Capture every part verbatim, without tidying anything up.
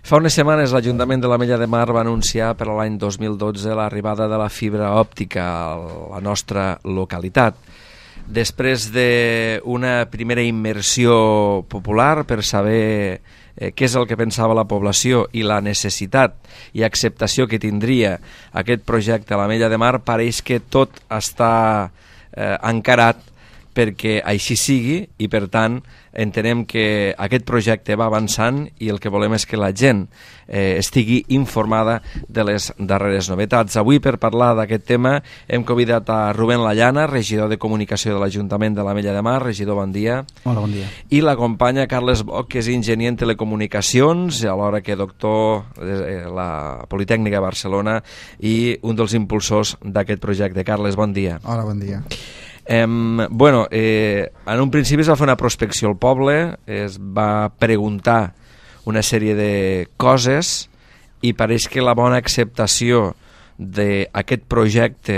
Fa unes setmanes l'Ajuntament de l'Ametlla de Mar va anunciar per a l'any dos mil dotze l'arribada de la fibra òptica a la nostra localitat. Després d'una primera immersió popular per saber eh, què és el que pensava la població i la necessitat i acceptació que tindria aquest projecte a l'Ametlla de Mar, pareix que tot està eh, encarat perquè així sigui i, per tant, entenem que aquest projecte va avançant i el que volem és que la gent eh, estigui informada de les darreres novetats. Avui, per parlar d'aquest tema, hem convidat a Rubén Lallana, regidor de Comunicació de l'Ajuntament de l'Ametlla de Mar. Regidor, bon dia. Hola, bon dia. I l'acompanya Carles Boc, que és enginyer en telecomunicacions, alhora que doctor de la Politècnica de Barcelona i un dels impulsors d'aquest projecte. Carles, bon dia. Hola, bon dia. Eh, bueno, eh, en un principi es va fer una prospecció al poble, es va preguntar una sèrie de coses i pareix que la bona acceptació d'aquest projecte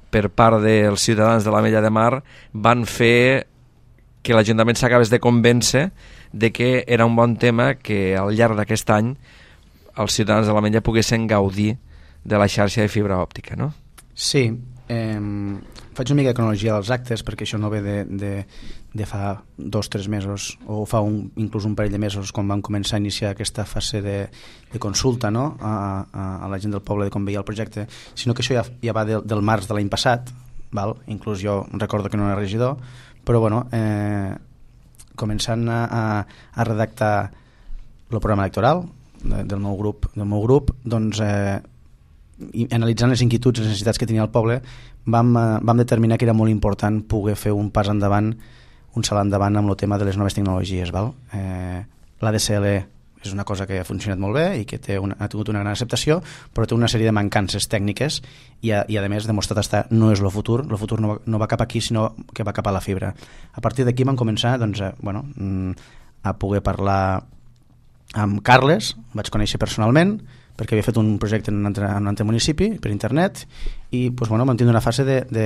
per part dels ciutadans de l'Ametlla de Mar van fer que l'Ajuntament s'acabés de convèncer de que era un bon tema que al llarg d'aquest any els ciutadans de l'Ametlla poguessin gaudir de la xarxa de fibra òptica, no? Sí, eh, faig una mica de cronologia dels actes perquè això no ve de, de, de fa dos o tres mesos o fa un, inclús un parell de mesos quan vam començar a iniciar aquesta fase de, de consulta, no? a, a, a la gent del poble de com veia el projecte, sinó que això ja, ja va de, del març de l'any passat, val? Inclús jo recordo que no era regidor, però bueno, eh, començant a, a, a redactar el programa electoral de, del meu grup, del meu grup doncs eh, i analitzant les inquietuds i les necessitats que tenia el poble vam, eh, vam determinar que era molt important poder fer un pas endavant, un salt endavant amb el tema de les noves tecnologies, val? Eh, l'A D S L és una cosa que ha funcionat molt bé i que té una, ha tingut una gran acceptació, però té una sèrie de mancances tècniques i a, i a més demostrat estar no és el futur, el futur no va, no va cap aquí sinó que va cap a la fibra. A partir d'aquí vam començar doncs, a, bueno, a poder parlar amb Carles, vaig conèixer personalment perquè havia fet un projecte en un altre, en un altre municipi per internet i doncs, bueno, vam tindre una fase de, de,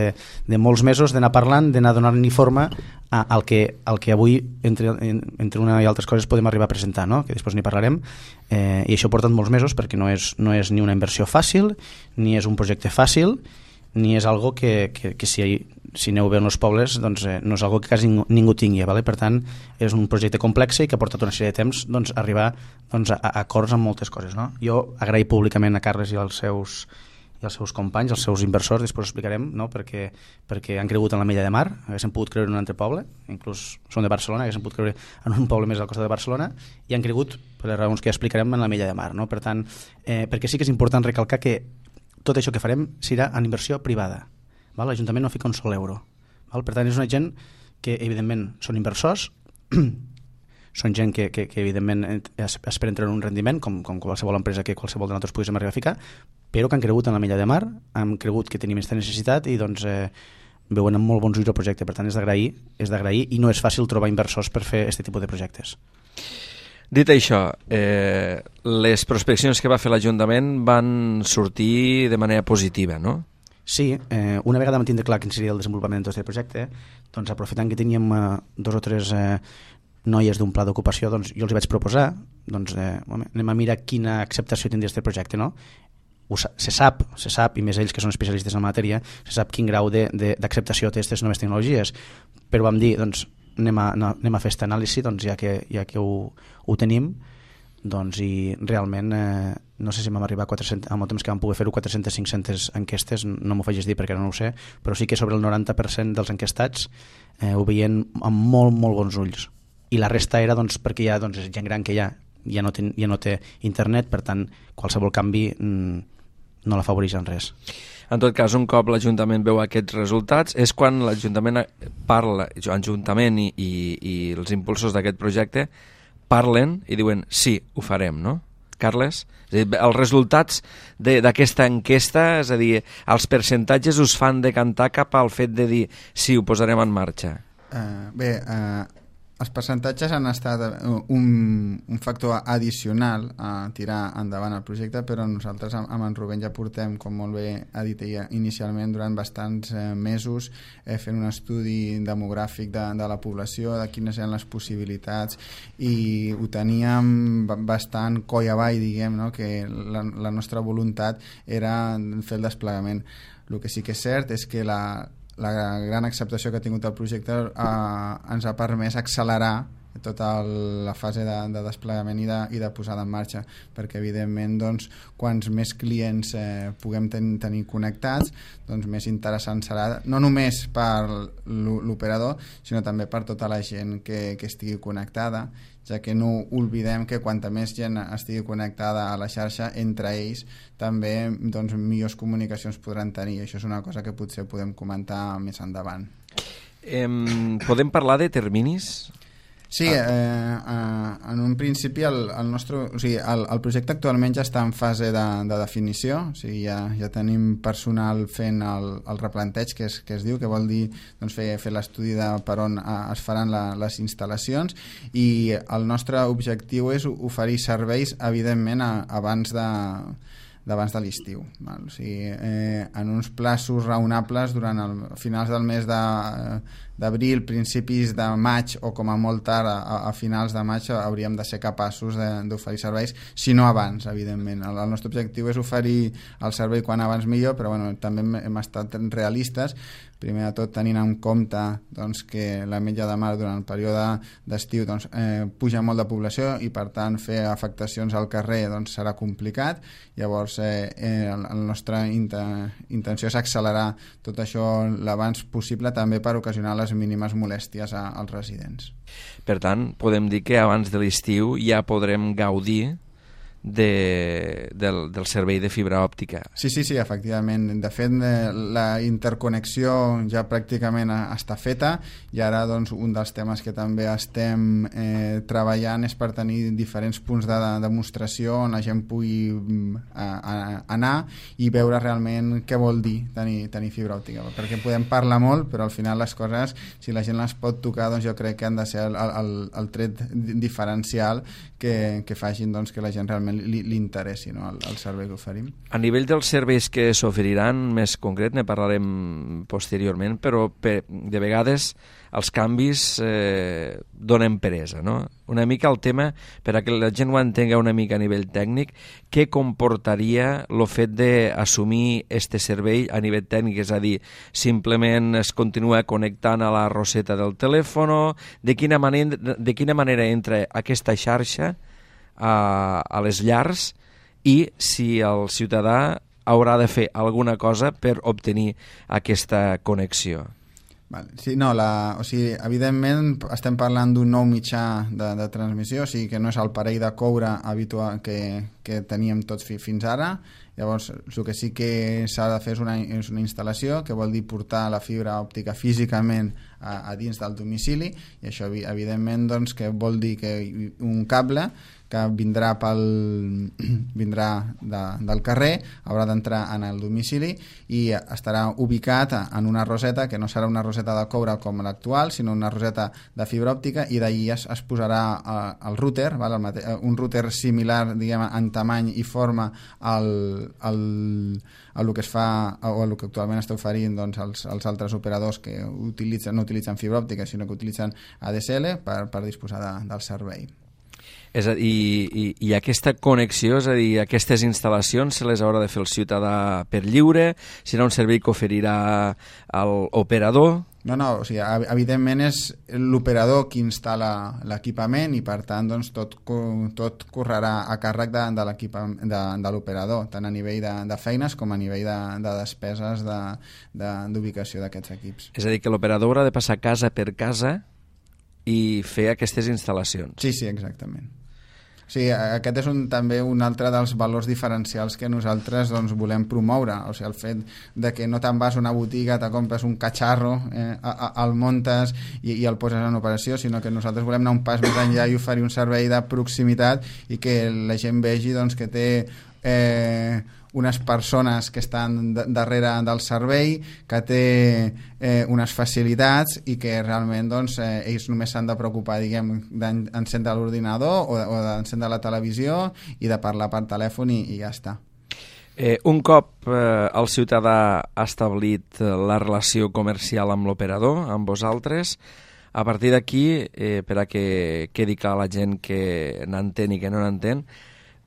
de molts mesos d'anar parlant, d'anar donant-li forma a, al, que, al que avui entre, entre una i altres coses podem arribar a presentar, no? Que després n'hi parlarem eh, i això ha portat molts mesos perquè no és, no és ni una inversió fàcil ni és un projecte fàcil ni és algo que, que, que si, si aneu bé en els pobles doncs, eh, no és algo que quasi ningú, ningú tingui, vale? Per tant és un projecte complex i que ha portat una sèrie de temps doncs, arribar doncs, a, a acords amb moltes coses, no? Jo agraï públicament a Carles i als seus, i als seus companys, als seus inversors, després ho explicarem, no? perquè, perquè han cregut en l'Ametlla de Mar, haguessin pogut creure en un altre poble, inclús són de Barcelona, haguessin pogut creure en un poble més al costat de Barcelona i han cregut, per les raons que ja explicarem, en l'Ametlla de Mar, no? Per tant, eh, perquè sí que és important recalcar que tot això que farem serà en inversió privada, val? L'Ajuntament no fica un sol euro, val? Per tant és una gent que evidentment són inversors són gent que, que, que evidentment esperen treure un rendiment com, com qualsevol empresa que qualsevol de nosaltres poguéssim arribar a ficar, però que han cregut en l'Ametlla de Mar, han cregut que tenim aquesta necessitat i doncs eh, veuen amb molt bons ulls el projecte. Per tant és d'agrair, és d'agrair i no és fàcil trobar inversors per fer aquest tipus de projectes. Dit això, eh, les prospeccions que va fer l'Ajuntament van sortir de manera positiva, no? Sí, eh, una vegada vam tindre clar quin seria el desenvolupament de tot aquest projecte, doncs aprofitant que teníem eh, dos o tres eh, noies d'un pla d'ocupació, doncs jo els vaig proposar, doncs eh, anem a mirar quina acceptació tindria aquest projecte, no? Ho, se sap, se sap, i més ells que són especialistes en la matèria, se sap quin grau d'acceptació té aquestes noves tecnologies, però vam dir, doncs, anem a, no, anem a fer aquesta anàlisi, doncs, ja que, ja que ho, ho tenim, doncs, i realment, eh, no sé si vam arribar a quatre-cents, amb el temps que vam poder fer-ho, quatre-centes a cinc-centes enquestes, no m'ho facis dir perquè no ho sé, però sí que sobre el noranta per cent dels enquestats eh, ho veien amb molt, molt bons ulls. I la resta era doncs, perquè hi ha doncs, gent gran que ja, ja, no té, ja no té internet, per tant, qualsevol canvi mm, no la favoreix en res. En tot cas, un cop l'Ajuntament veu aquests resultats, és quan l'Ajuntament parla, l'Ajuntament i, i, i els impulsors d'aquest projecte parlen i diuen sí, ho farem, no? Carles? És a dir, els resultats d'aquesta enquesta, és a dir, els percentatges us fan decantar cap al fet de dir sí, ho posarem en marxa. Uh, bé, uh, els percentatges han estat un, un factor addicional a tirar endavant el projecte, però nosaltres amb, amb en Rubén ja portem, com molt bé ha dit ella inicialment, durant bastants eh, mesos eh, fent un estudi demogràfic de, de la població, de quines eren les possibilitats, i ho teníem bastant coll avall, diguem, no? Que la, la nostra voluntat era fer el desplegament. El que sí que és cert és que la la gran acceptació que ha tingut el projecte eh, ens ha permès accelerar tota la fase de, de desplegament i de, i de posada en marxa, perquè evidentment doncs, quants més clients eh, puguem ten, tenir connectats, doncs més interessant serà, no només per l'operador, sinó també per tota la gent que, que estigui connectada, ja que no oblidem que quanta més gent estigui connectada a la xarxa, entre ells també doncs, millors comunicacions podran tenir. Això és una cosa que potser podem comentar més endavant. Eh, podem parlar de terminis? Sí, eh, eh, en un principi el, el nostre, o sigui, el, el projecte actualment ja està en fase de, de definició, o sigui, ja, ja tenim personal fent el, el replanteig que es, que es diu, que vol dir doncs, fer, fer l'estudi de per on eh, es faran la, les instal·lacions, i el nostre objectiu és oferir serveis, evidentment, a, abans de d'abans de l'estiu, o sigui, eh, en uns plaços raonables durant el finals del mes de, d'abril, principis de maig, o com a molt tard a, a finals de maig hauríem de ser capaços d'oferir serveis, si no abans, evidentment. El, el nostre objectiu és oferir el servei quan abans millor, però bueno, també hem, hem estat realistes, primer de tot tenint en compte doncs, que la Ametlla de Mar durant el període d'estiu doncs, eh, puja molt de població i per tant fer afectacions al carrer doncs, serà complicat. Llavors eh, eh, la nostra intenció és accelerar tot això l'abans possible, també per ocasionar les mínimes molèsties a, als residents. Per tant, podem dir que abans de l'estiu ja podrem gaudir De, del, del servei de fibra òptica. Sí, sí, sí, efectivament. De fet, la interconnexió ja pràcticament està feta, i ara doncs, un dels temes que també estem eh, treballant és per tenir diferents punts de, de demostració on la gent pugui a, a, anar i veure realment què vol dir tenir, tenir fibra òptica, perquè podem parlar molt, però al final les coses, si la gent les pot tocar, doncs jo crec que han de ser el, el, el tret diferencial que, que facin doncs, que la gent realment li, li interessi, no, el, el servei que oferim. A nivell dels serveis que s'oferiran, més concret, ne parlarem posteriorment, però per, de vegades els canvis eh, donen peresa, no? Una mica el tema, per a que la gent ho entenga una mica a nivell tècnic, què comportaria el fet d'assumir este servei a nivell tècnic, és a dir, simplement es continua connectant a la roseta del telèfon, de quina manera, de quina manera entra aquesta xarxa a, a les llars, i si el ciutadà haurà de fer alguna cosa per obtenir aquesta connexió. Vale. Sí, no, la, o sigui, evidentment estem parlant d'un nou mitjà de, de transmissió, o sigui que no és el parell de coure habitual que, que teníem tots fi, fins ara. Llavors, el que sí que s'ha de fer és una, és una instal·lació, que vol dir portar la fibra òptica físicament a, a dins del domicili, i això evidentment doncs, que vol dir que un cable que vindrà, pel, vindrà de, del carrer, haurà d'entrar en el domicili i estarà ubicat en una roseta, que no serà una roseta de coure com l'actual, sinó una roseta de fibra òptica, i d'ahir es, es posarà el router, val? El mate, un router similar, diguem, en tamany i forma al, al, al que es fa, o el que actualment està oferint doncs, els, els altres operadors que utilitzen, no utilitzen fibra òptica, sinó que utilitzen A D S L per, per disposar de, del servei. És a dir, i, i aquesta connexió, és a dir, aquestes instal·lacions se les haurà de fer el ciutadà per lliure, serà un servei que oferirà l'operador? No, no, o sigui, evidentment és l'operador qui instal·la l'equipament i per tant doncs, tot, tot correrà a càrrec de, de l'equipament de, de l'operador, tant a nivell de, de feines com a nivell de, de despeses d'ubicació de, de, d'aquests equips. És a dir, que l'operador haurà de passar casa per casa i fer aquestes instal·lacions. Sí, sí, exactament. Sí, aquest és un, també un altre dels valors diferencials que nosaltres doncs, volem promoure. O sigui, el fet de que no te'n vas a una botiga, te compres un catxarro, eh, a, a, el muntes i, i el poses en operació, sinó que nosaltres volem anar un pas més enllà i oferir un servei de proximitat i que la gent vegi doncs, que té eh, unes persones que estan darrere del servei, que té eh, unes facilitats i que realment doncs, eh, ells només s'han de preocupar, diguem, d'encendre l'ordinador o, o d'encendre la televisió i de parlar per telèfon i, i ja està. Eh, un cop eh, el ciutadà ha establit la relació comercial amb l'operador, amb vosaltres, a partir d'aquí, eh, per a que quedi clar la gent que n'entén i que no n'entén,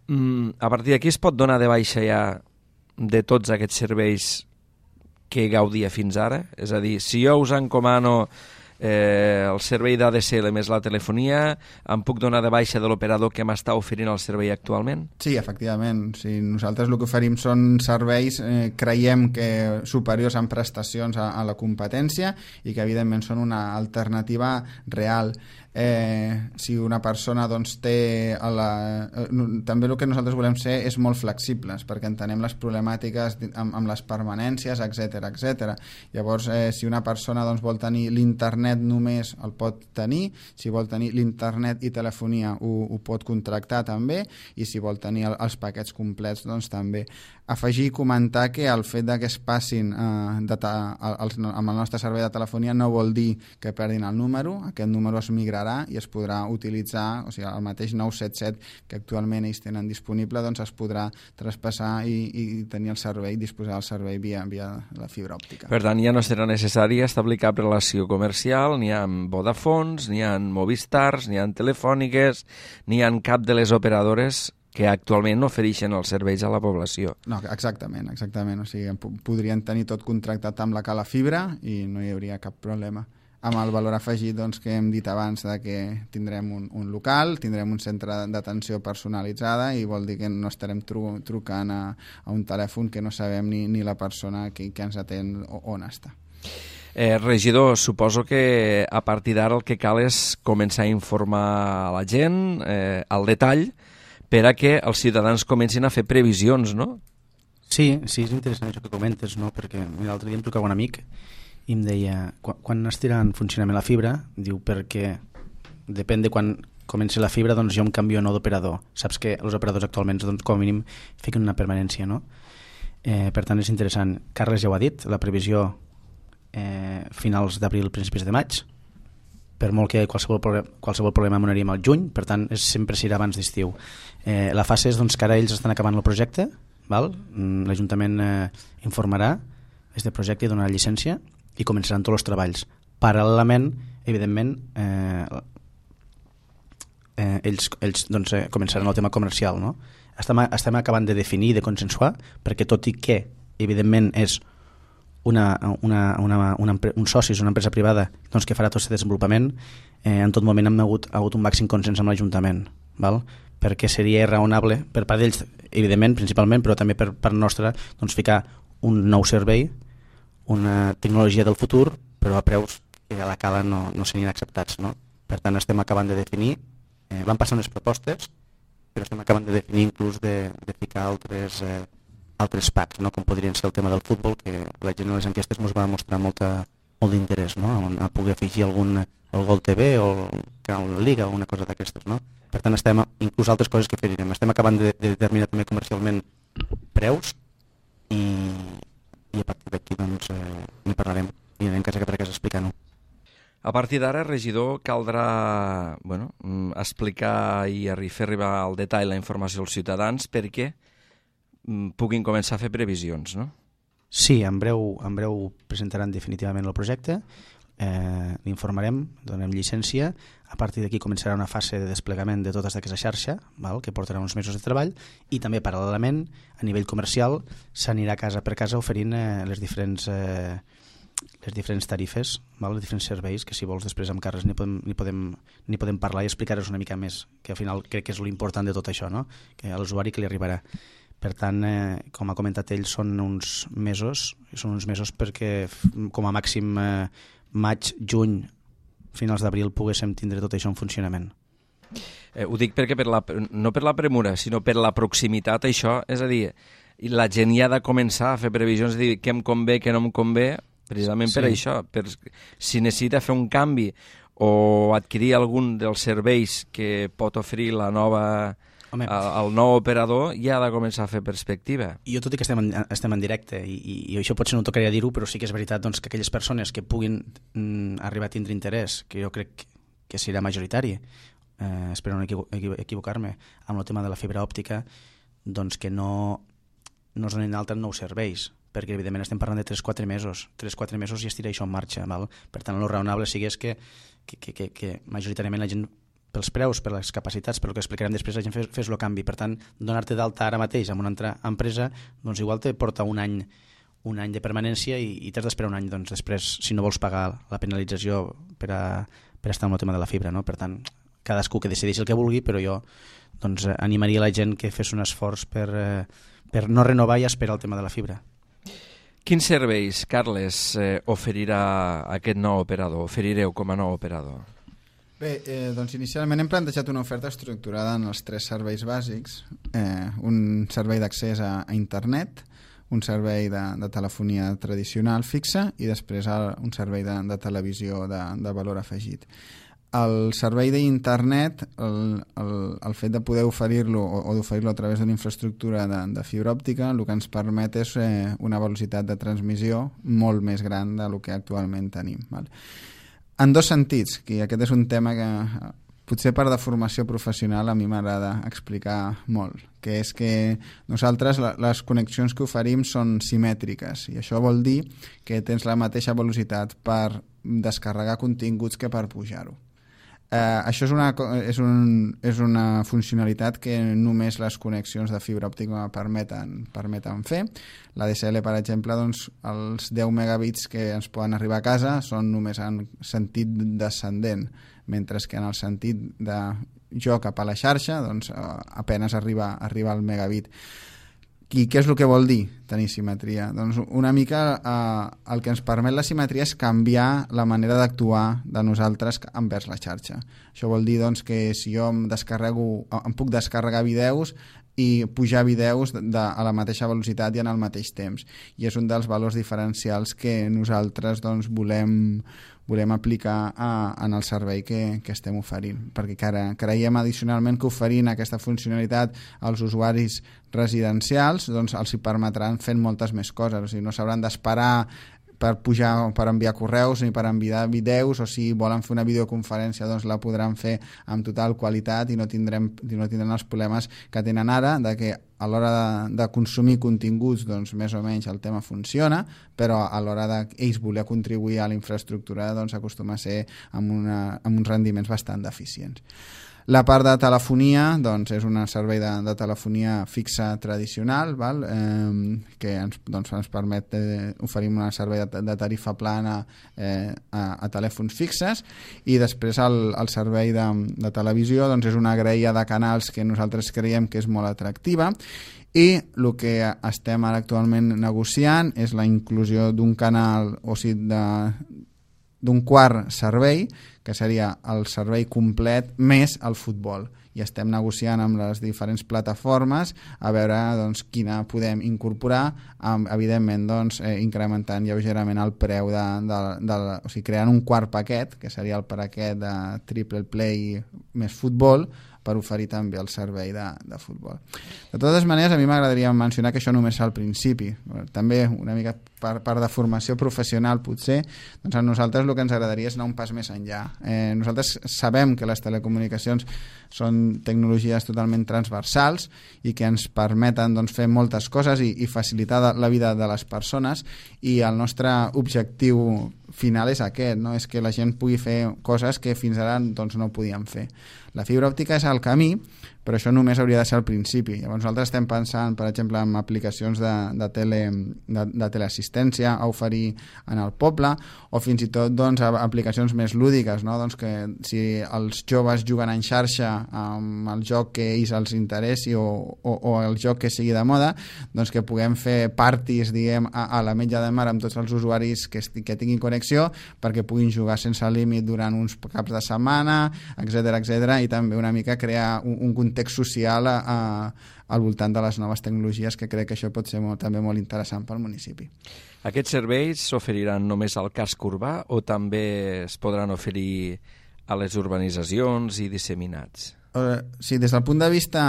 mm, a partir d'aquí es pot donar de baixa ja de tots aquests serveis que gaudia fins ara? És a dir, si jo us encomano eh, el servei d'A D S L més la telefonia, em puc donar de baixa de l'operador que m'està oferint el servei actualment? Sí, efectivament. Sí, nosaltres el que oferim són serveis, eh, creiem que superiors en prestacions a, a la competència i que evidentment són una alternativa real. Eh, si una persona doncs, té a la... eh, també el que nosaltres volem ser és molt flexibles, perquè entenem les problemàtiques amb, amb les permanències, etcètera etcètera. Llavors, eh, si una persona doncs, vol tenir l'internet només el pot tenir, si vol tenir l'internet i telefonia ho, ho pot contractar també, i si vol tenir el, els paquets complets doncs també. Afegir i comentar que el fet de que es passin eh, de ta, els, amb el nostre servei de telefonia no vol dir que perdin el número, aquest número es migrarà i es podrà utilitzar, o sigui, el mateix nou set set que actualment ells tenen disponible, doncs es podrà traspassar i, i tenir el servei, disposar del servei via, via la fibra òptica. Per tant, ja no serà necessari establir cap relació comercial, ni amb Vodafons, ni amb Movistars, ni amb Telefòniques, ni amb cap de les operadores que actualment no ofereixen els serveis a la població. No, exactament, exactament. O sigui, podrien tenir tot contractat amb la cala fibra i no hi hauria cap problema. Amb el valor afegit doncs, que hem dit abans de que tindrem un, un local, tindrem un centre d'atenció personalitzada i vol dir que no estarem tru, trucant a, a un telèfon que no sabem ni, ni la persona que, que ens atén on està. Eh, regidor, suposo que a partir d'ara el que cal és començar a informar a la gent eh, al detall per a que els ciutadans comencin a fer previsions, no? Sí, sí, és interessant això que comentes, no? Perquè l'altre dia em trucava un amic i em deia, quan, quan estirà en funcionament la fibra, diu, perquè depèn de quan comenci la fibra, doncs jo em canvio a nou d'operador. Saps que els operadors actualment, doncs, com a mínim, fiquen una permanència, no? Eh, per tant, és interessant. Carles ja ho ha dit, la previsió eh, finals d'abril, principis de maig, per molt que qualsevol, problem, qualsevol problema m'anaríem al juny, per tant, és, sempre s'irà abans d'estiu. Eh, la fase és doncs, que ara ells estan acabant el projecte, val? L'Ajuntament eh, informarà este projecte i donarà llicència i començaran tots els treballs. Paral·lelament, evidentment, eh, eh, ells, ells doncs, eh, començaran el tema comercial. No? Estem, estem acabant de definir i de consensuar, perquè tot i que, evidentment, és una, una, una, una, un soci, una empresa privada doncs, que farà tot aquest desenvolupament, eh, en tot moment hem hagut, ha hagut un màxim consens amb l'Ajuntament, val? Perquè seria raonable per part d'ells, evidentment, principalment, però també per part nostra, doncs, ficar un nou servei, una tecnologia del futur, però a preus que a la cala no, no serien acceptats. No? Per tant, estem acabant de definir, eh, van passar unes propostes, però estem acabant de definir inclús de, de ficar altres, eh, altres packs, no? Com podrien ser el tema del futbol, que la gent en les enquestes ens va mostrar molta, molt d'interès, no? A poder afegir algun el Gol T V o el Canal Liga o una cosa d'aquestes. No? Per tant, estem, inclús altres coses que farem, estem acabant de, de determinar també comercialment preus i, i a partir d'aquí doncs, eh, n'hi parlarem i anem casa per casa explicant-ho. A partir d'ara, regidor, caldrà bueno, explicar i fer arribar al detall la informació als ciutadans perquè puguin començar a fer previsions, no? Sí, en breu, en breu presentaran definitivament el projecte, eh, l'informarem, donem llicència, a partir d'aquí començarà una fase de desplegament de tota aquesta xarxa, val? Que portarà uns mesos de treball, i també paral·lelament, a nivell comercial, s'anirà casa per casa oferint eh, les diferents... Eh, les diferents tarifes, val? Els diferents serveis, que si vols després amb Carles n'hi podem, n'hi podem, n'hi podem parlar i explicar-vos una mica més, que al final crec que és l'important de tot això, no? Que a l'usuari que li arribarà. Per tant, eh, com ha comentat ell, són uns mesos, són uns mesos perquè com a màxim eh, maig, juny, finals d'abril poguéssim tindre tot això en funcionament. Eh, ho dic perquè per la, no per la premura, sinó per la proximitat, això, és a dir, la gent ja ha de començar a fer previsions, dir què em convé, què no em convé, precisament sí. Per això, per, si necessita fer un canvi o adquirir algun dels serveis que pot oferir la nova, Home, el, el nou operador ja ha de començar a fer perspectiva. Jo, tot i que estem en, estem en directe, i, i, i això potser no tocaria dir-ho, però sí que és veritat doncs, que aquelles persones que puguin mm, arribar a tindre interès, que jo crec que serà majoritari, eh, espero no equivo equivocar-me, amb el tema de la fibra òptica, doncs que no, no es donin altres nous serveis, perquè evidentment estem parlant de tres quatre mesos. tres quatre mesos ja estirà això en marxa. Val? Per tant, el raonable sigui és que, que, que, que, que majoritàriament la gent, pels preus, per les capacitats, per el que explicarem després, la gent fes, fes el canvi. Per tant, donar-te d'alta ara mateix amb una altra empresa, doncs igual te porta un any, un any de permanència i, i t'has d'esperar un any doncs, després, si no vols pagar la penalització per, a, per estar amb el tema de la fibra. No? Per tant, cadascú que decideixi el que vulgui, però jo doncs, animaria la gent que fes un esforç per, eh, per no renovar i esperar el tema de la fibra. Quins serveis, Carles, eh, oferirà aquest nou operador? Oferireu com a nou operador? Bé, eh, doncs inicialment hem plantejat una oferta estructurada en els tres serveis bàsics. Eh, un servei d'accés a, a internet, un servei de, de telefonia tradicional fixa i després un servei de, de televisió de, de valor afegit. El servei d'internet, el, el, el fet de poder oferir-lo o, o d'oferir-lo a través d'una infraestructura de, de fibra òptica, el que ens permet és eh, una velocitat de transmissió molt més gran del que actualment tenim. Val? En dos sentits, que aquest és un tema que potser per deformació professional a mi m'agrada explicar molt, que és que nosaltres les connexions que oferim són simètriques i això vol dir que tens la mateixa velocitat per descarregar continguts que per pujar-ho. Uh, això és una, és, un, és una funcionalitat que només les connexions de fibra òptica permeten, permeten fer. La D S L, per exemple, doncs, els deu megabits que ens poden arribar a casa són només en sentit descendent, mentre que en el sentit de jo cap a la xarxa doncs, uh, apenes arriba, arriba al megabit. I què és el que vol dir tenir simetria? Doncs una mica eh, el que ens permet la simetria és canviar la manera d'actuar de nosaltres envers la xarxa. Això vol dir doncs, que si jo em, descarrego, em puc descarregar vídeos i pujar vídeos de, de, a la mateixa velocitat i en el mateix temps. I és un dels valors diferencials que nosaltres doncs, volem, volem aplicar a, en el servei que, que estem oferint, perquè cre, creiem addicionalment que oferint aquesta funcionalitat als usuaris residencials doncs els hi permetran fer moltes més coses, o sigui, no s'hauran d'esperar per pujar, per enviar correus ni per enviar vídeos, o si volen fer una videoconferència doncs la podran fer amb total qualitat i no tindrem, no tindrem els problemes que tenen ara, de que a l'hora de, de consumir continguts doncs més o menys el tema funciona, però a l'hora d'ells voler contribuir a la infraestructura doncs acostuma a ser amb, una, amb uns rendiments bastant deficients. La part de telefonia doncs, és un servei de, de telefonia fixa tradicional, val? Eh, que ens, doncs, ens permet eh, oferir un servei de, de tarifa plana eh, a, a telèfons fixes, i després el, el servei de, de televisió doncs, és una graella de canals que nosaltres creiem que és molt atractiva, i el que estem ara actualment negociant és la inclusió d'un canal, o sigui, de d'un quart servei, que seria el servei complet més el futbol. I estem negociant amb les diferents plataformes a veure doncs, quina podem incorporar, amb, evidentment doncs, eh, incrementant lleugerament el preu, de, de, de, o sigui, creant un quart paquet, que seria el paquet de triple play més futbol, per oferir també el servei de, de futbol. De totes maneres, a mi m'agradaria mencionar que això només és al principi. També una mica per, per de formació professional potser, doncs a nosaltres el que ens agradaria és anar un pas més enllà. Eh, nosaltres sabem que les telecomunicacions són tecnologies totalment transversals i que ens permeten doncs, fer moltes coses i, i facilitar la vida de les persones, i el nostre objectiu final és aquest, no? És que la gent pugui fer coses que fins ara doncs, no podíem fer. La fibra òptica és el camí, però això només hauria de ser al principi. Llavors nosaltres estem pensant, per exemple, en aplicacions de, de, tele, de, de teleassistència a oferir en el poble, o fins i tot doncs, aplicacions més lúdiques, no? Doncs que si els joves juguen en xarxa amb el joc que ells els interessi o, o, o el joc que sigui de moda, doncs que puguem fer parties, diguem, a, a la Metlla de Mar amb tots els usuaris que, que tinguin connexió, perquè puguin jugar sense límit durant uns caps de setmana, etcètera, etcètera, i també una mica crear un, un context social a, a, al voltant de les noves tecnologies, que crec que això pot ser molt, també molt interessant pel municipi. Aquests serveis s'oferiran només al casc urbà o també es podran oferir a les urbanitzacions i disseminats? Uh, sí, des del punt de vista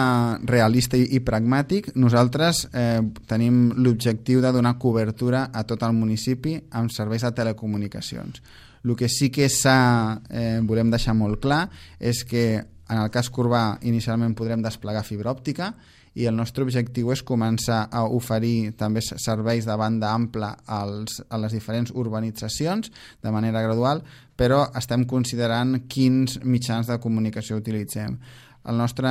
realista i, i pragmàtic, nosaltres eh, tenim l'objectiu de donar cobertura a tot el municipi amb serveis de telecomunicacions. El que sí que s'ha, eh, volem deixar molt clar és que en el casc urbà inicialment podrem desplegar fibra òptica i el nostre objectiu és començar a oferir també serveis de banda ampla als, a les diferents urbanitzacions de manera gradual, però estem considerant quins mitjans de comunicació utilitzem. El nostre,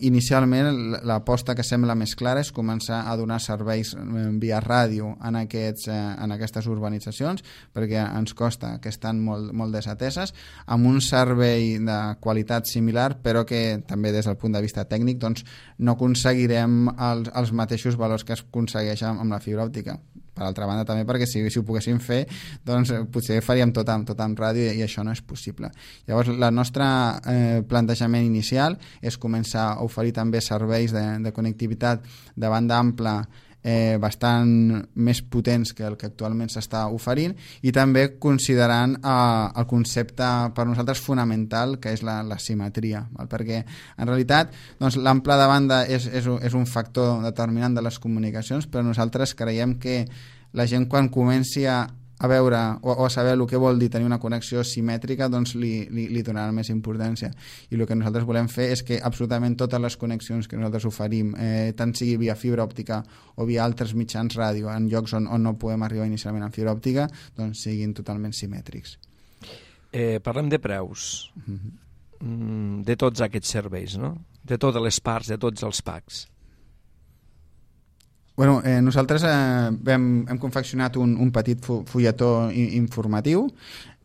inicialment, l'aposta que sembla més clara és començar a donar serveis via ràdio en, aquests, en aquestes urbanitzacions, perquè ens costa que estan molt, molt desateses, amb un servei de qualitat similar, però que també des del punt de vista tècnic doncs, no aconseguirem els, els mateixos valors que es aconsegueixen amb la fibra òptica. Per altra banda també perquè si, si ho poguéssim fer doncs potser faríem tot amb, tot amb ràdio i, i això no és possible. Llavors el nostre eh, plantejament inicial és començar a oferir també serveis de, de connectivitat de banda ampla eh, bastant més potents que el que actualment s'està oferint i també considerant eh, el concepte per nosaltres fonamental que és la, la simetria, val? Perquè en realitat doncs, l'ample de banda és, és, és un factor determinant de les comunicacions, però nosaltres creiem que la gent quan comenci a a veure o, o a saber el que vol dir tenir una connexió simètrica doncs li, li, li donarà més importància i el que nosaltres volem fer és que absolutament totes les connexions que nosaltres oferim eh, tant sigui via fibra òptica o via altres mitjans ràdio en llocs on, on no podem arribar inicialment amb fibra òptica doncs siguin totalment simètrics. Eh, parlem de preus mm-hmm. de tots aquests serveis, no? De totes les parts, de tots els packs. Bueno, eh, nosaltres eh, hem, hem confeccionat un, un petit fulletó informatiu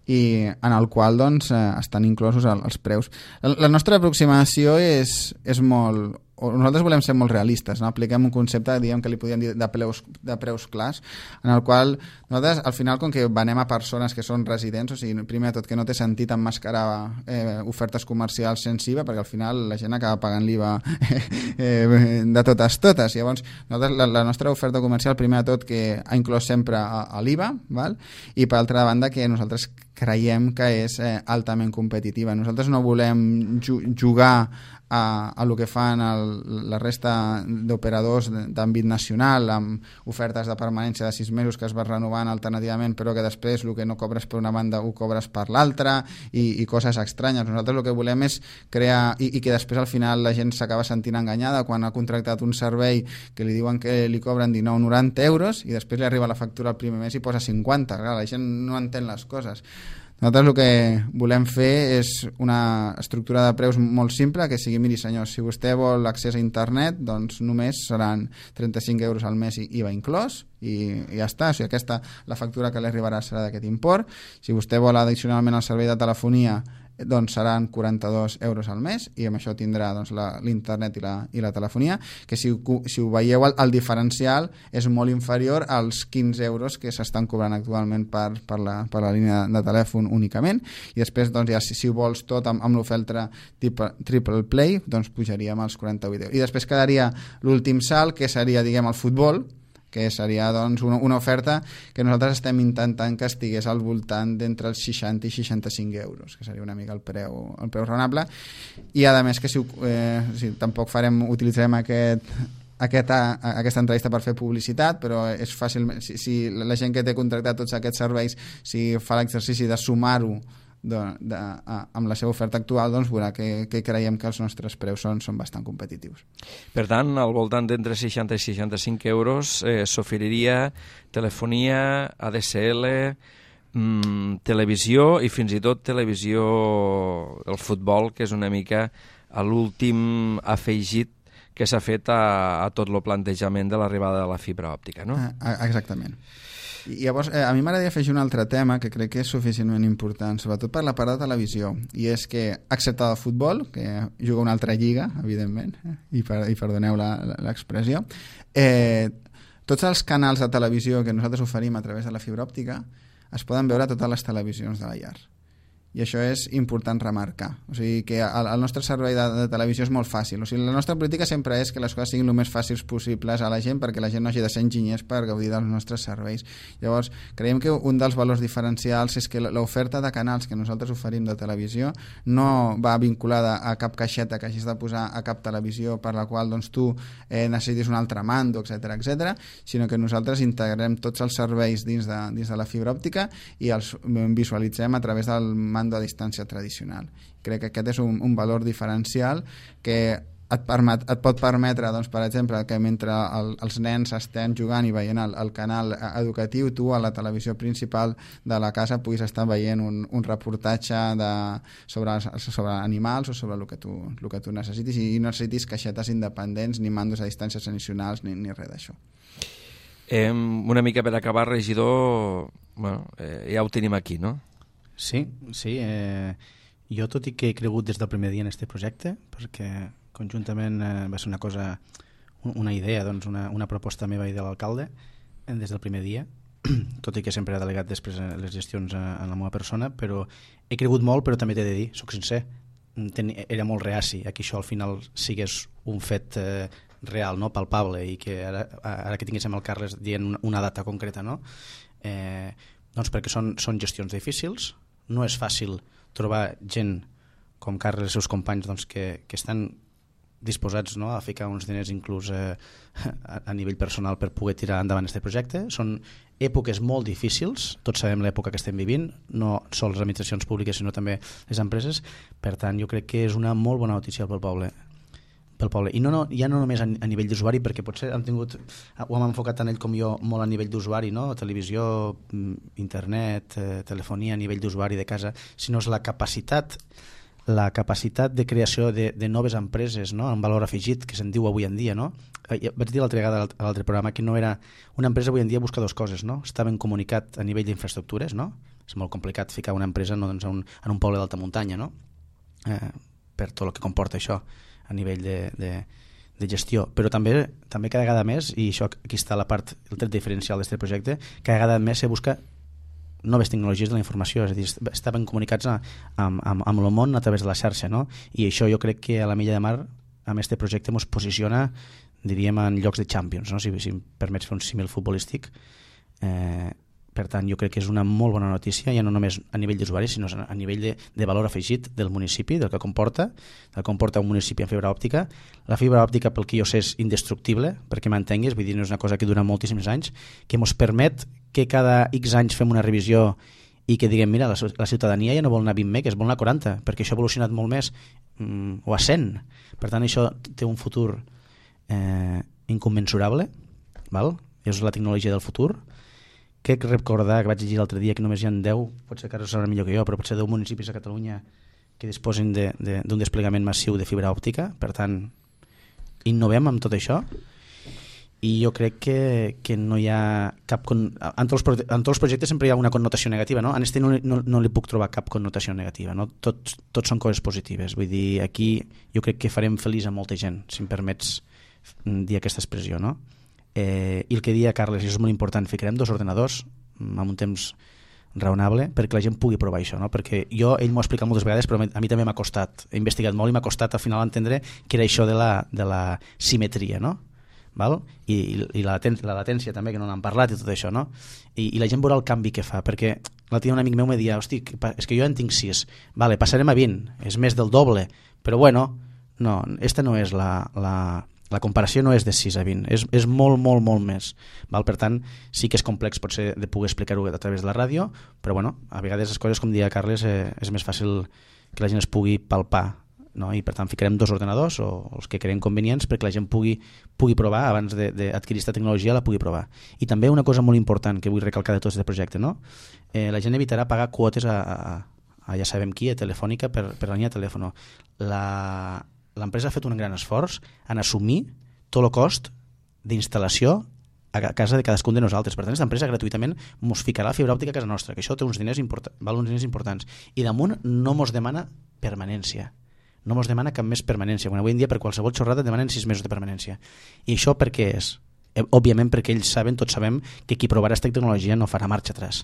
i en el qual doncs, eh, estan inclosos el, els preus. La, la nostra aproximació és, és molt... Nosaltres volem ser molt realistes, no? Apliquem un concepte diguem que li podríem dir de preus, de preus clars, en el qual nosaltres al final com que venem a persones que són residents, o sigui, primer de tot que no té sentit emmascarar eh, ofertes comercials sense I V A, perquè al final la gent acaba pagant l'I V A eh, de totes totes. Llavors nosaltres, la, la nostra oferta comercial primer de tot que ha inclòs sempre a, a l'I V A, val? I per altra banda que nosaltres creiem que és eh, altament competitiva. Nosaltres no volem ju jugar a, a lo que fan el, la resta d'operadors d'àmbit nacional amb ofertes de permanència de sis mesos que es va renovant alternativament però que després el que no cobres per una banda ho cobres per l'altra i, i coses estranyes. Nosaltres el que volem és crear i, i que després al final la gent s'acaba sentint enganyada quan ha contractat un servei que li diuen que li cobren dinou noranta euros i després li arriba la factura al primer mes i posa cinquanta. Clar, la gent no entén les coses. Nosaltres el que volem fer és una estructura de preus molt simple, que sigui, miri senyors, si vostè vol accés a internet, doncs només seran trenta-cinc euros al mes i I V A inclòs, i, i ja està. O sigui, aquesta, la factura que li arribarà serà d'aquest import. Si vostè vol addicionalment el servei de telefonia, doncs seran quaranta-dos euros al mes i amb això tindrà doncs, l'internet i, la, i la telefonia, que si, si ho veieu el, el diferencial és molt inferior als quinze euros que s'estan cobrant actualment per, per, la, per la línia de telèfon únicament, i després doncs, ja, si, si ho vols tot amb, amb l'oferta triple play doncs pujaríem als quaranta-vuit euros i després quedaria l'últim salt que seria diguem el futbol, que seria doncs, una, una oferta que nosaltres estem intentant que estigués al voltant d'entre els seixanta i seixanta-cinc euros, que seria una mica el preu, el preu raonable, i a més que si, eh, si tampoc farem, utilitzarem aquest, aquesta, aquesta entrevista per fer publicitat, però és fàcil, si, si la gent que té contractat tots aquests serveis, si fa l'exercici de sumar-ho de, de, a, amb la seva oferta actual, doncs veurà que, que creiem que els nostres preus són, són bastant competitius. Per tant, al voltant d'entre seixanta i seixanta-cinc euros eh, s'oferiria telefonia, A D S L, mm, televisió i fins i tot televisió del futbol, que és una mica l'últim afegit que s'ha fet a, a tot el plantejament de l'arribada de la fibra òptica, no? Ah, exactament. I llavors, eh, a mi m'agradaria afegir un altre tema que crec que és suficientment important, sobretot per la part de televisió, i és que, excepte el futbol, que juga una altra lliga, evidentment, eh, i, per, i perdoneu l'expressió, eh, tots els canals de televisió que nosaltres oferim a través de la fibra òptica es poden veure a totes les televisions de la llar. i això és important remarcar. O sigui que el, el nostre servei de, de televisió és molt fàcil. O sigui, la nostra política sempre és que les coses siguin el més fàcils possibles a la gent perquè la gent no hagi de ser enginyers per gaudir dels nostres serveis. Llavors, creiem que un dels valors diferencials és que l'oferta de canals que nosaltres oferim de televisió no va vinculada a cap caixeta que hagis de posar a cap televisió per la qual doncs, tu eh, necessitis un altre mando, etcètera, etcètera, sinó que nosaltres integrem tots els serveis dins de, dins de la fibra òptica i els visualitzem a través del mando a distància tradicional. Crec que aquest és un, un valor diferencial que et, permet, et pot permetre, doncs, per exemple, que mentre el, els nens estan jugant i veient el, el canal educatiu, tu a la televisió principal de la casa puguis estar veient un, un reportatge de, sobre, sobre animals o sobre el que tu, el que tu necessitis i no necessitis caixetes independents ni mandos a distàncies tradicionals ni, ni res d'això. Eh, una mica per acabar, regidor, bueno, eh, ja ho tenim aquí, no? Sí, sí. Eh, jo tot i que he cregut des del primer dia en aquest projecte, perquè conjuntament eh, va ser una cosa, una idea, doncs una, una proposta meva i de l'alcalde eh, des del primer dia, tot i que sempre he delegat després les gestions a, a la meva persona, però he cregut molt, però també t'he de dir, soc sincer, ten, era molt reaci a que això al final sigués un fet eh, real, no, palpable, i que ara, ara que tinguéssim el Carles dient una, una data concreta, no? Eh, doncs perquè són, són gestions difícils. No és fàcil trobar gent com Carles i els seus companys doncs, que, que estan disposats, no, a ficar uns diners inclús eh, a, a nivell personal per poder tirar endavant aquest projecte. Són èpoques molt difícils, tots sabem l'època que estem vivint, no sols les administracions públiques sinó també les empreses. Per tant, jo crec que és una molt bona notícia pel poble. pel poble. I no, no, ja no només a, a nivell d'usuari, perquè potser hem tingut, ho hem enfocat tant ell com jo molt a nivell d'usuari, no? Televisió, internet, eh, telefonia a nivell d'usuari de casa, sinó és la capacitat la capacitat de creació de, de noves empreses, no? En valor afegit, que se'n diu avui en dia, no? Eh, vaig dir l'altra vegada a l'altre programa que no era... Una empresa avui en dia busca dues coses, no? Està ben comunicat a nivell d'infraestructures, no? És molt complicat ficar una empresa no, doncs, en, un, en un poble d'alta muntanya, no? Eh, per tot el que comporta això a nivell de, de, de gestió, però també, també cada vegada més, i això aquí està la part, el tret diferencial d'aquest projecte, cada vegada més se busca noves tecnologies de la informació, és a dir, estaven comunicats a, amb, amb, amb el món a través de la xarxa, no? I això jo crec que a la Milla de Mar amb aquest projecte ens posiciona, diríem, en llocs de Champions, no? si, si em permets fer un símil futbolístic. Eh, per tant, jo crec que és una molt bona notícia, ja no només a nivell d'usuari, sinó a nivell de, de valor afegit del municipi, del que comporta, del que comporta un municipi en fibra òptica. La fibra òptica, pel que jo sé, és indestructible, perquè m'entenguis, vull dir, no és una cosa que dura moltíssims anys, que ens permet que cada X anys fem una revisió i que diguem, mira, la, la ciutadania ja no vol anar a vint megues, vol anar a quaranta, perquè això ha evolucionat molt més, mm, o a cent. Per tant, això té un futur eh, incommensurable, val? És la tecnologia del futur. Crec recordar, que vaig llegir l'altre dia, que només hi ha deu, potser que ara ho sabrà millor que jo, però potser deu municipis a Catalunya que disposin d'un de, de, desplegament massiu de fibra òptica. Per tant, innovem amb tot això i jo crec que, que no hi ha cap... Con... En, tots els, en tots els projectes sempre hi ha una connotació negativa, no? En este no, no, no li puc trobar cap connotació negativa, no? Tots, tots són coses positives. Vull dir, aquí jo crec que farem feliç a molta gent, si em permets dir aquesta expressió, no? Eh, i el que deia Carles, i és molt important, ficarem dos ordenadors amb un temps raonable perquè la gent pugui provar això, no? Perquè jo, ell m'ho ha explicat moltes vegades, però a mi també m'ha costat, he investigat molt i m'ha costat al final entendre que era això de la, de la simetria, no? Val? I, i la, laten la latència també, que no n'han parlat i tot això, no? I, i la gent veurà el canvi que fa, perquè l'altre dia un amic meu me deia, hosti, és que jo en tinc sis, vale, passarem a vint, és més del doble, però bueno, no, esta no és la... la La comparació no és de sis a vint, és, és molt, molt, molt més. Val? Per tant, sí que és complex potser de poder explicar-ho a través de la ràdio, però bueno, a vegades les coses, com deia Carles, eh, és més fàcil que la gent es pugui palpar, no? I per tant ficarem dos ordenadors o els que creiem convenients perquè la gent pugui, pugui provar, abans d'adquirir aquesta tecnologia la pugui provar. I també una cosa molt important que vull recalcar de tot aquest projecte, no? Eh, la gent evitarà pagar quotes a, a, a ja sabem qui, a Telefònica, per, per la línia de telèfon. La... L'empresa ha fet un gran esforç en assumir tot el cost d'instal·lació a casa de cadascun de nosaltres. Per tant, aquesta empresa gratuïtament ens ficarà fibra òptica a casa nostra, que això té uns diners, import val uns diners importants. I damunt no ens demana permanència. No ens demana cap més permanència. Quan avui en dia per qualsevol xorrada demanen sis mesos de permanència. I això per què és? Òbviament perquè ells saben, tots sabem, que qui provarà aquesta tecnologia no farà marxa atrás.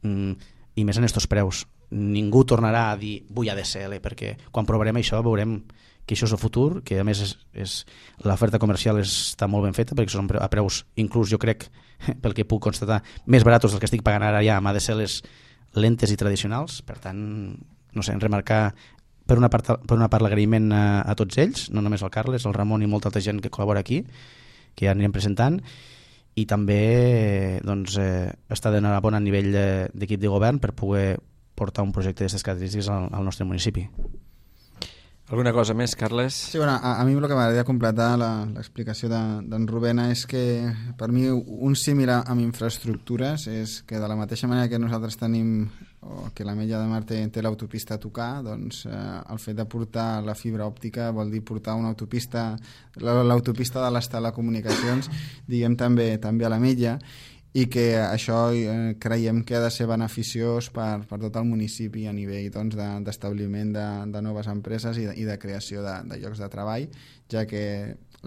Mm, I més en estos preus. ningú tornarà a dir vull A D S L, perquè quan provarem això veurem que això és el futur, que a més és, és, l'oferta comercial està molt ben feta perquè són a preus, inclús jo crec, pel que puc constatar, més baratos del que estic pagant ara ja amb A D S Ls lentes i tradicionals. Per tant, no sé, remarcar per una part, per una part l'agraïment a, a tots ells, no només al Carles, al Ramon i molta altra gent que col·labora aquí, que ja anirem presentant, i també doncs, eh, està d'enhorabona a nivell d'equip de govern per poder portar un projecte d'aquestes característiques al, al nostre municipi. Alguna cosa més, Carles? Sí, bueno, a, a mi el que m'agradaria completar l'explicació d'en de, Rubén és que per mi un símil amb infraestructures és que de la mateixa manera que nosaltres tenim o que l'Ametlla de Mar té, té l'autopista a tocar, doncs eh, el fet de portar la fibra òptica vol dir portar una autopista, l'autopista de les telecomunicacions, diguem també també a l'Ametlla, i que això eh, creiem que ha de ser beneficiós per, per tot el municipi a nivell doncs, d'establiment de, de noves empreses i de, i de creació de, de llocs de treball, ja que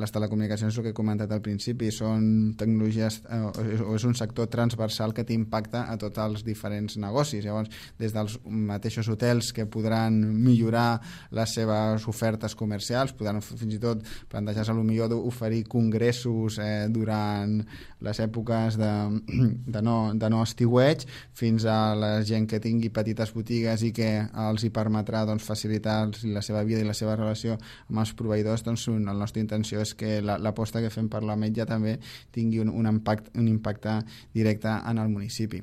les telecomunicacions, el que he comentat al principi, són tecnologies eh, o és un sector transversal que té impacte a tots els diferents negocis. Llavors, des dels mateixos hotels que podran millorar les seves ofertes comercials, podran fins i tot plantejar-se potser d'oferir congressos eh, durant les èpoques de, de, no, de no estiueig, fins a la gent que tingui petites botigues i que els hi permetrà doncs, facilitar la seva vida i la seva relació amb els proveïdors. Doncs la nostra intenció és que l'aposta que fem per l'Ametlla també tingui un, un, impact, un impacte directe en el municipi.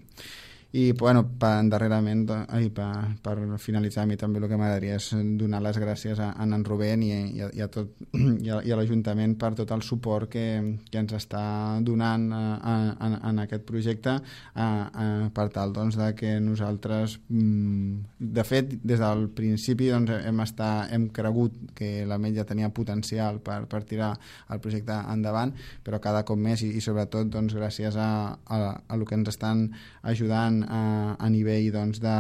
I bueno, per, darrerament ai, per, per finalitzar, a mi també el que m'agradaria és donar les gràcies a, a en Rubén i, i, a, i a, tot, i a, i a l'Ajuntament per tot el suport que, que ens està donant a, a, a, en aquest projecte a, a, per tal doncs, de que nosaltres de fet des del principi doncs, hem, estar, hem cregut que l'Ametlla tenia potencial per, per tirar el projecte endavant, però cada cop més i, i sobretot doncs, gràcies a, a, a el que ens estan ajudant a, a nivell doncs, de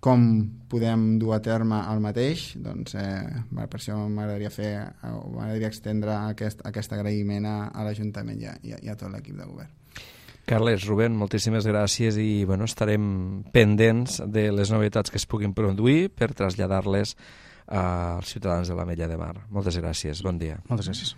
com podem dur a terme el mateix, doncs eh, per això m'agradaria fer o m'agradaria extendre aquest, aquest agraïment a, a l'Ajuntament i, i, i a tot l'equip de govern. Carles, Rubén, moltíssimes gràcies i bueno, estarem pendents de les novetats que es puguin produir per traslladar-les als ciutadans de l'Ametlla de Mar. Moltes gràcies, bon dia. Moltes gràcies.